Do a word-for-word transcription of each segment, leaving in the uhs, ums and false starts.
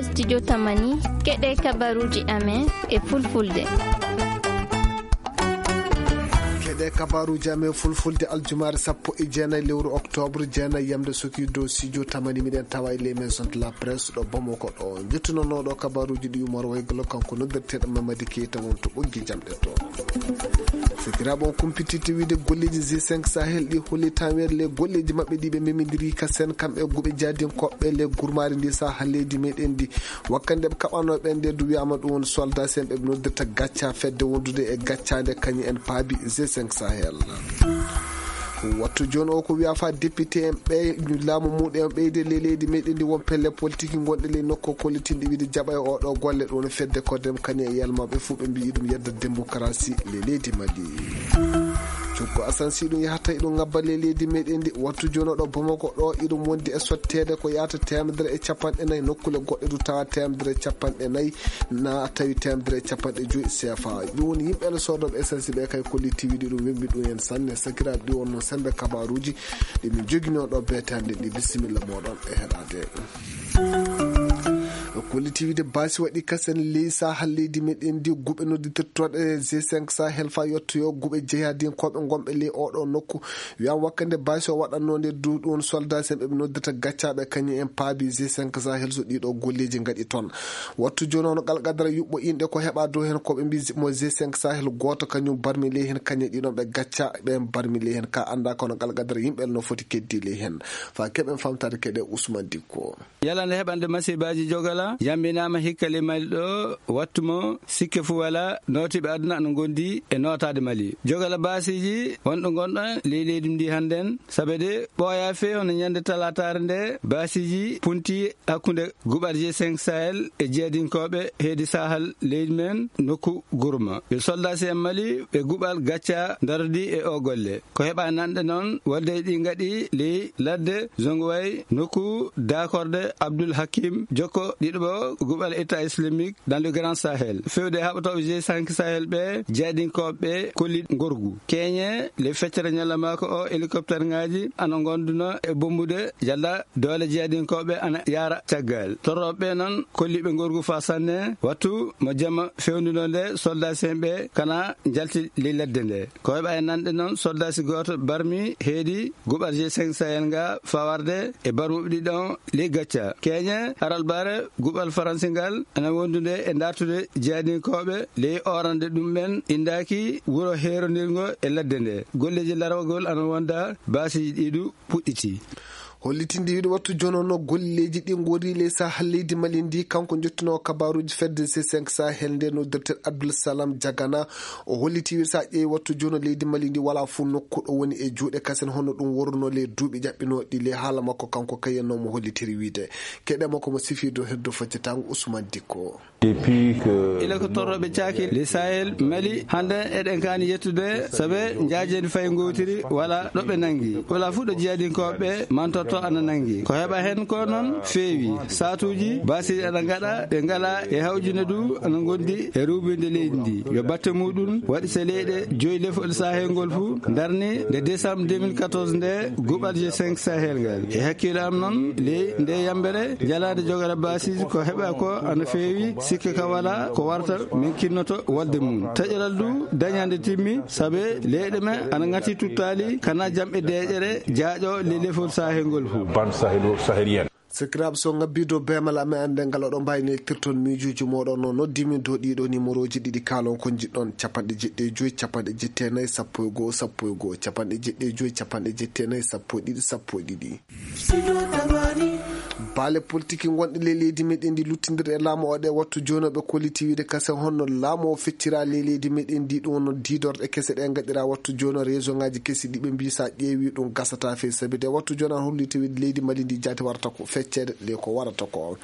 Studio Tamani, keɗe kabaruji amen e fulfulde. Keɗe kabaruji amen fulfulde aljumaare sappo e jeenayi lewru octobre, jeenayi yamde soki dow studio Tamani, miɗen tawa e les maisons de la presse ɗo Bamako ɗo. Jettunonooɗo kabaruji ɗi Umar Waygolo, kanko noddirteeɗo Mamadi Keita, won to ɓoggi jamɗe to. Sakiraaɓe, on kumpititte wiide golleeji G cinq Sahel ɗi holli tan weeɗle golleeji maɓɓe ɗi ɓe memidiri ka sen kamɓe guɓe jaadinkoɓe le gurmaari ndi saha leydi meɗen ndi. Wakkande ɓe kaɓano ɓen nde du wi'ama ɗum woni soldat sen ɓe noddirta gacca fedde wondude e gaccande kañum en paabi G cinq Sahel. Wattu jooni o ko wiya fa député en ɓe laamu muɗum en ɓeyde le leydi meɗen ndi won pelle politique gonɗe ley nokku kollitinɗi wiide jaɓa e oɗo golle ɗum woni fedde ko dem kañum e yalmaɓe fof ɓe mbiyi ɗum yedda démocratie le leydi Mali. Cukko Asan si ɗum yahata eɗum ngabba le leydi meɗen ndi wattu jooni o ɗo Bamako ɗo eɗum wondi e sotteede ko yahata teemedere e capanɗe nayi nokkule goɗɗe du tawa teemedere e capanɗe nayi na tawi teemedere e capanɗe joyi C F A. Ɗum woni yimɓe ene soodoɓe essence ɓe kay kolli tiwiɗi ɗum wembi ɗum en sanne sakiraaɓe ɗi wonno sembe kabaruji ɗi min jogino ɗo beetande ɗi bisimilla moɗon e heɗade. Kolli tiwiɗi basi waɗi kasen ley sahal leydi meɗen ndi guɓe nodditirtoɗe G cinq Sahel fa yettoyo guɓe jeyadinkoɓe gonɓe ley oɗo nokku. Wiyama wakkande basi o waɗanno nde du ɗum soldat sen ɓe ɓe noddirta gaccaɓe kañum en paabi G cinq Sahel so ɗiɗo golleji gaɗi toon. Wattu jooni hono qalqadara yuɓɓo inɗe ko heɓa dow heen ko ɓe mbi mo G cinq Sahel gooto kañum barmi ley heen kañe ɗiɗon ɓe gacca ɓen barmi ley heen ka annda kono qalqadara yimɓe no foti keddi ley heen. Fa keɓen famtade keɗe Ousmane Dikko. Yalande heɓande masiibaaji jogala yamminaama hikka ley Mali ɗo wattu mo sikke fuu wala nootiiɓe aduna no ngondi e nootaade Mali jogala baasiiji wonɗo ngonɗo ley leydi ndi hannden. Sabe de ɓooya fee hono ñande talaataare nde baasiiji punti hakkunde guɓal G cinq Sahel e jeyadinkooɓe heedi sahal leydi men nokku gurma yo soldasi en Mali ɓe guɓal gacca darodi e o golle. Ko heɓa nanɗe noon wadde ɗi ngaɗi ley ladde zongoway nokku dakorde Abdul Hakim jokko ɗiɗo guɓal état islamique dans le grand Sahel fewde haɓatooɓe G cinq Sahel ɓe jeyadinkooɓe ɓe kolli ngorgu keñe le feccere ñalla mako o hélicoptère ngaji ana gonduno e bombude jalla doole jeyadinkooɓe ana yaara caggal torroɓe ɓe noon kolliɓe ngorgu fa sanne wattu mo jamma fewnuno nde soldasi en ɓe kana jalti ley ladde nde. Ko heɓa e nanɗe noon soldasi gooto barmi heedi guɓal G cinq Sahel nga fawarde e barmuɓe ɗiɗon ley gacca keñe haralbare guɓal faransi ngal ana wondude e dartude jeyadinkooɓe ley orande ɗum ɓen indaki wuro heerondirgo e ladde nde golleji larawgol ana wonda baasiiji ɗiɗu puɗɗiti. Hollitinde wiide wattu jonono golleeji ɗi ngori ley sahal leydi Mali ndi kanko jottinowo kabaruuji fedde G cinq Sahel nde noddirten Abdul Salam Jagana. O holliti wiide so a ƴeewi wattu jono leydi Mali ndi wala fof nokku ɗo woni e juuɗe kasen hono ɗum worruno ley duuɓi ƴaɓɓinooɗi ley haala makko kanko kayen no mo hollitiri wiide keɗe makko mo sifirde heddo foccatango Ousmane Dikko. Ila ko torroɓe caaki le Sahel Mali hande eɗen kaani yettude sabe njaajeni fay ngotiri wala ɗo ɓe nangi wala fuɗɗo jiyadinkoɓe mantorto ana nangi ko heɓa hen ko noon feewi satuji basiji ana gaɗa ɓe ngala e hawjune du ana gondi e rubinde leydi ndi yo batte muɗum waɗi so leyɗe joyi lefol sahel ngol fuu darni nde décembre deux mille quatorze nde guɓal g cinq sahel ngal e hakkille am noon ley nde yambere jalaade jogora basiji ko heɓa ko ana feewi sikke ka wala ko warta min kinnoto wolde mum taƴoral du dañande timmi saabe leyɗe men ana ngati tuttali kana jam e deƴere jaaƴo le lefol sahel ngol fuu. Ban sahel o sahel yen. Sakiraaɓe so ngabbi dow beemal amen annde ngal oɗon mbawi neltirton miijuuji moɗon no noddi min dow ɗiɗo numéroji ɗiɗi kalon ko jiɗɗon capanɗe jeɗɗi e joyi capanɗe jetti e nayi sappo e goho sappo e goho capanɗe jeɗɗi e joyi capanɗe jetti e nayi sappo e ɗiɗi sappo e ɗiɗi. Baale politiki gonɗe ley leydi meɗen ndi luttindir e laamu o ɗe wattu jonoɓe kolliti wiide kasen honno laamu o feccira ley leydi meɗen ndi ɗum wonno didorɗe kese ɗe gaɗira wattu jono région ngaji kesi ɗiɓe mbi sa ƴeewi ɗum gasata fey sabi de wattu jono an holliti wiide leydi mali ndi jaati warata ko feccede ley ko warata ko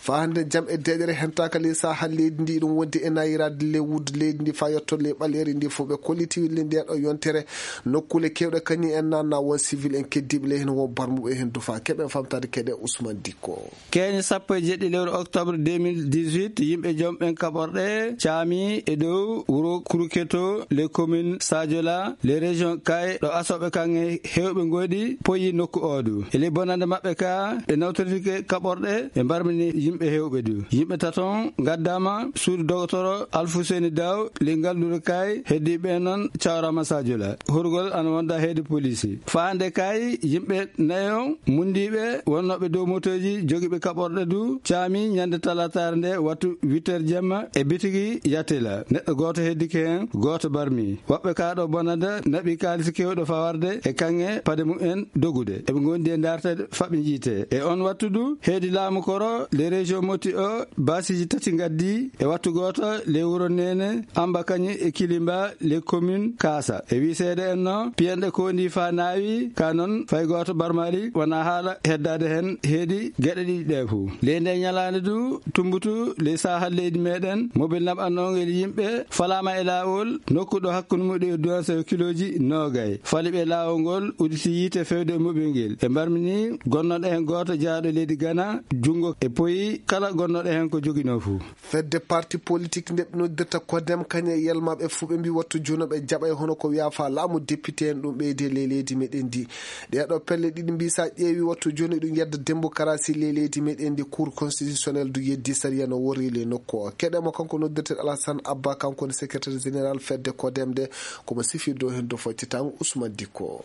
fa hande jam e deƴere hentaka ley sahal leydi ndi ɗum wondi e nayirade ley wuddu leydi ndi fa yetto ley ɓaleri ndi fof ɓe kolliti wiide nde ɗo yontere nokkule kewɗe kañum en nanna won civil en keddiɓe ley hen won barmuɓe hen dufa keɓen famtade keɗe Ousmane. Dikko. Keñe sappo e jeɗɗi lewru octobre deux mille dix-huit, yimɓe jom ɓen kaɓorɗe caami e dow wuro Kruketo, les communes Sadiola, les régions Kay, ɗo asooɓe kaŋŋe heewɓe ngoɗi poyi nokku oo du. E ley bonande maɓɓe ka, ɓe nawtortike kaɓorɗe, ɓe mbarmini yimɓe heewɓe du. Yimɓe taton ngaddama suudu dogotoro Alfuseni Daw, ley ngalluure Kay, heddiiɓe non cawrama Sadiola. Horgol ana wonda heedi poliisi. Faande Kay, yimɓe nayo mundiiɓe wonnooɓe dow motooji jogiiɓe kaɓorɗe du caami ñande talaataare nde wattu huit heures jemma e bitigi Yatela. Neɗɗo gooto heddike heen, gooto barmi. Woɓɓe kaa ɗo bonanda naɓi kaalisi keewɗo fawarde e kaŋŋe paɗe mumen dogude. Eɓe ngondi e ndaarteede faɓɓe njiite. E on wattu du, heedi laamu koro, les régions moti o, baasiiji tati ngaddi e wattu gooto, les wuro Neene, Amba Kañi e Kilimba, les communes Kaasa. E wiiseede en no, piyanɗe kondi fa naawi, ka non fay gooto barmali, wona haala heddaade heen heedi geɗe ɗiɗi ɗe fof. Ley nde ñalaande du, tumbutu ley saahal leydi meɗen, mobil naɓannongel yimɓe, falaama e laawol, nokku ɗo hakkunde muɗum e duwanse o kilooji noogay. Fali ɓe laawol ngol, uditi yiite fewde e mobil ngel. E mbarmini, gonnoɗo heen gooto jaaɗo leydi Gana, junngo e poyi, kala gonnoɗo heen ko joginoo fof. Fedde parti politique nde ɓe noddirta kodem, kañe e yelmaɓe fuu ɓe mbi wattu jooni ɓe jaɓay hono ko wiya fa laamu député en ɗum ɓeyde ley leydi meɗen ndi. Ɗee ɗo pelle ɗiɗi mbi sa ƴeewi wattu jooni ɗum yedda démocratie ley leydi meɗen ndi, cour constitutionnel du yeddi sariya no worri ley nokku o. Keɗe mo kanko noddirten Alassane Abba, kanko woni secrétaire général fedde kodem nde, komo sifirde o heen do foccitango Ousmane Dikko.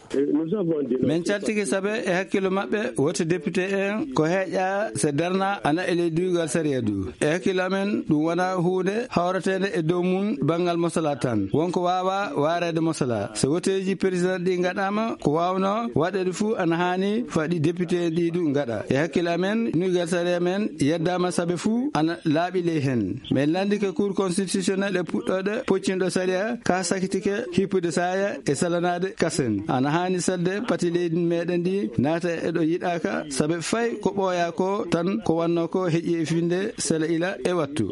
Min caltike sabe e hakkillo maɓɓe, woto député en ko heƴa se darna ana e ley duygal sariya du. E hakkillo amen, ɗum wona huunde hawreteende e dow mum banngal mosala tan. Wonko waawa waareede mosala. So woteeji président ɗi ngaɗaama, ko waawno waɗeede fuu ana haani faɗi député en ɗi du ngaɗa. E hakkillo amen, duygal sariya men yeddaama sabe fuu ana laaɓi ley heen. Min lanndike cour constitutionnel e puɗɗooɗe poccinɗo sariya ka sakitike hippude saaya e salanaade kasen. Ana haani selde pati leydi meɗen ndi naata e ɗo yiɗaaka, sabe fay ko ɓooya ko tan ko wanno ko heƴi e finde sela ila e wattu.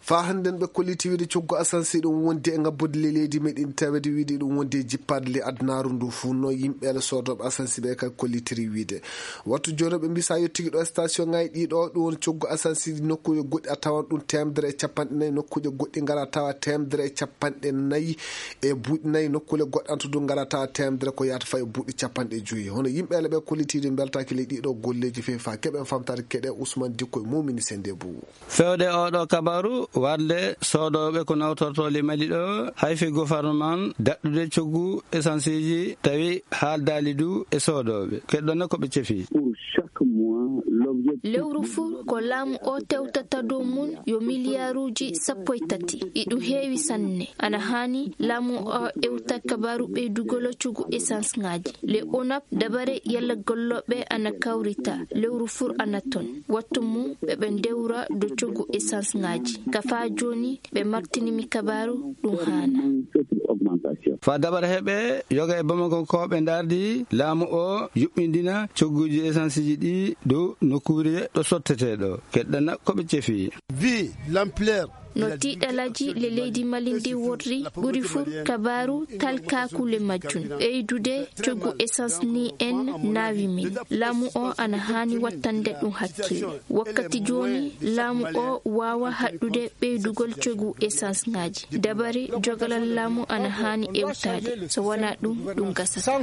Fa hannden ɓe kolliti wiide coggu asansi ɗum wondi e ngabbude le leydi meɗen tawede wiide ɗum wondi e jippaade le adunaaru ndu fuu no yimɓe ala soodooɓe asansi ɓe kadi kollitiri wiide. Wattu jooni ɓe mbi sa yettiki ɗo station ngaji ɗi ɗo, ɗum woni coggu asansi nokkuuje goɗɗi a tawan ɗum teemedere e capanɗe nayi, nokkuuje goɗɗi ngara tawa teemedere e capanɗe nayi e buuɗi nayi, nokkuuje goɗɗe an to du ngara tawa teemedere ko yahata fay e buuɗi capanɗe joyi. Hono yimɓe ala ɓe kollitiiɗi mbeltaaki ley ɗi ɗo golleeji fefa keɓen famtaade keɗe Ousmane Dikko e Mumini Sende Bou. Fewde oɗo kabaru, warde soodooɓe ko nawtorto le Mali ɗo, hayfi gouvernement daɗɗude coggu esanseeji tawi haaldaali du e soodooɓe. Keɗɗon ko ɓe cefi. Lewru fuu ko laamu o tewtata dow mum yo miliyaaruuji sappo e tati. Iɗum heewi sanne. Ana haani laamu o ewta kabaru ɓeydugol coggu essence ngaji. Le onap dabare yalla gollooɓe ana kawrita. Lewru fuu ana ton. Wattu mum ɓe ɓe ndewra dow coggu essence ngaji. Ka faa jooni ɓe martini mi kabaru ɗum haana. Fa dabare heɓe yoga e Bamako ko ɓe ndardi laamu o yuɓɓindina cogguji essence ji ɗi dow nokkuure ɗo sotteteɗo. Keɗɗana ko ɓe cefi. Vu l'ampleur. No tiiɗalaaji le leydi Mali ndi worri, ɓuri fuu kabaaru talkaaku le majjum. Ɓeydude coggu essence ni en naawi min. Laamu o ana haani wattande ɗum hakkille. Wakkati jooni, laamu o waawa haɗɗude ɓeydugol coggu essence ngaji. Dabare jogalal laamu ana haani ewtaade. So wonaa ɗum, ɗum gasata.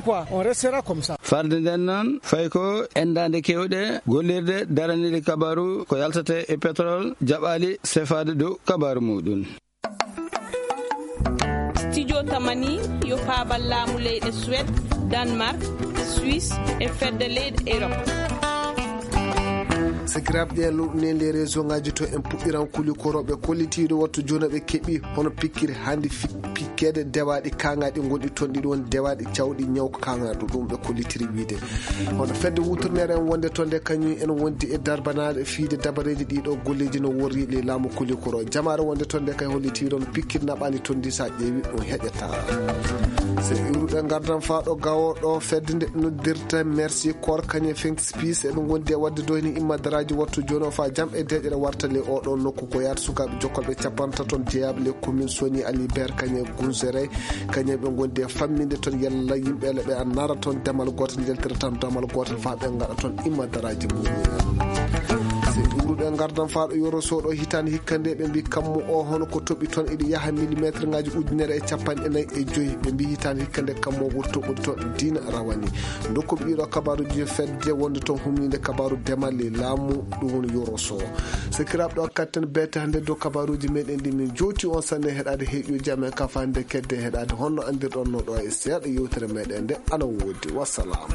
Farde nden noon, fay ko endaande kewɗe, gollirde, daraniiɗe kabaru, ko yaltata e pétrole, jaɓaali sefaade dow kabaru muɗum. Studio Tamani yo faabal laamu leyɗe Suède, Danemark, Suisse e fedde leyɗe Europe. Sakiraaɓe, ɗen lowɗunen les région ngaji to en puɗɗiran kuli korooɓe kollitiiɗo wattu jooni ɓe keɓi hono pikkiri hannde fi-, pikkeede dewaaɗi kaŋŋaaɗi gonɗi toon ɗiɗi woni dewaaɗi cawɗi ñaw ko kaŋŋaaɗo ɗum ɓe kollitiri wiide. Hono fedde wutorneere en wonde toon nde kañum en wondi e darbanaade fiide dabareeji ɗi ɗo golleeji no worri le laamu kuli koro. Jamaare wonde toon nde kay holliti ɗon pikkiri naɓaani toon ndi sa ƴeewi ɗum heƴata. So iwru- Ɓe ngardan faa ɗo gawo ɗo fedde nde noddirta Mercy Corps kañum Fink Spis eɓe ngondi e waɗde doyni immadaraaji wattu jooni o faa jam e deeƴere warta ley oo ɗoo nokku ko yaata sukaaɓe jokkolɓe capanɗe tato jeyaaɓe ley commune Soni Alibert kañum Gunsere kañum ɓe ngondi e famminde toon yalla yimɓe le ɓe annara toon damal gootal njaltira tan damal gootal faa ɓe ngaɗa toon immadaraaji mumen. Se ɓuruɗe ngardan faa ɗo yoro soɗo hitaande hikka nde ɓe mbi kammu o hono ko toɓi toon iɗi yaha millimétre ngaji ujunere e capanɗe nayi e joyi ɓe mbi hitaande hikka nde kammu o ɓuri toɓɓude toon diina rawani. Dokku ɓiɗo kabaruji fedde wonde toon humninde kabaru demal e laamu ɗum woni yoro so. Sakiraaɓe ɗo katten bete hannde dow kabaruji meɗen ɗi min jowti on sanne heɗade heeƴuji amen kafa hannde kedde heɗade honno andirɗon no ɗo e seeɗa yewtere meɗen nde ana wodi wassalam.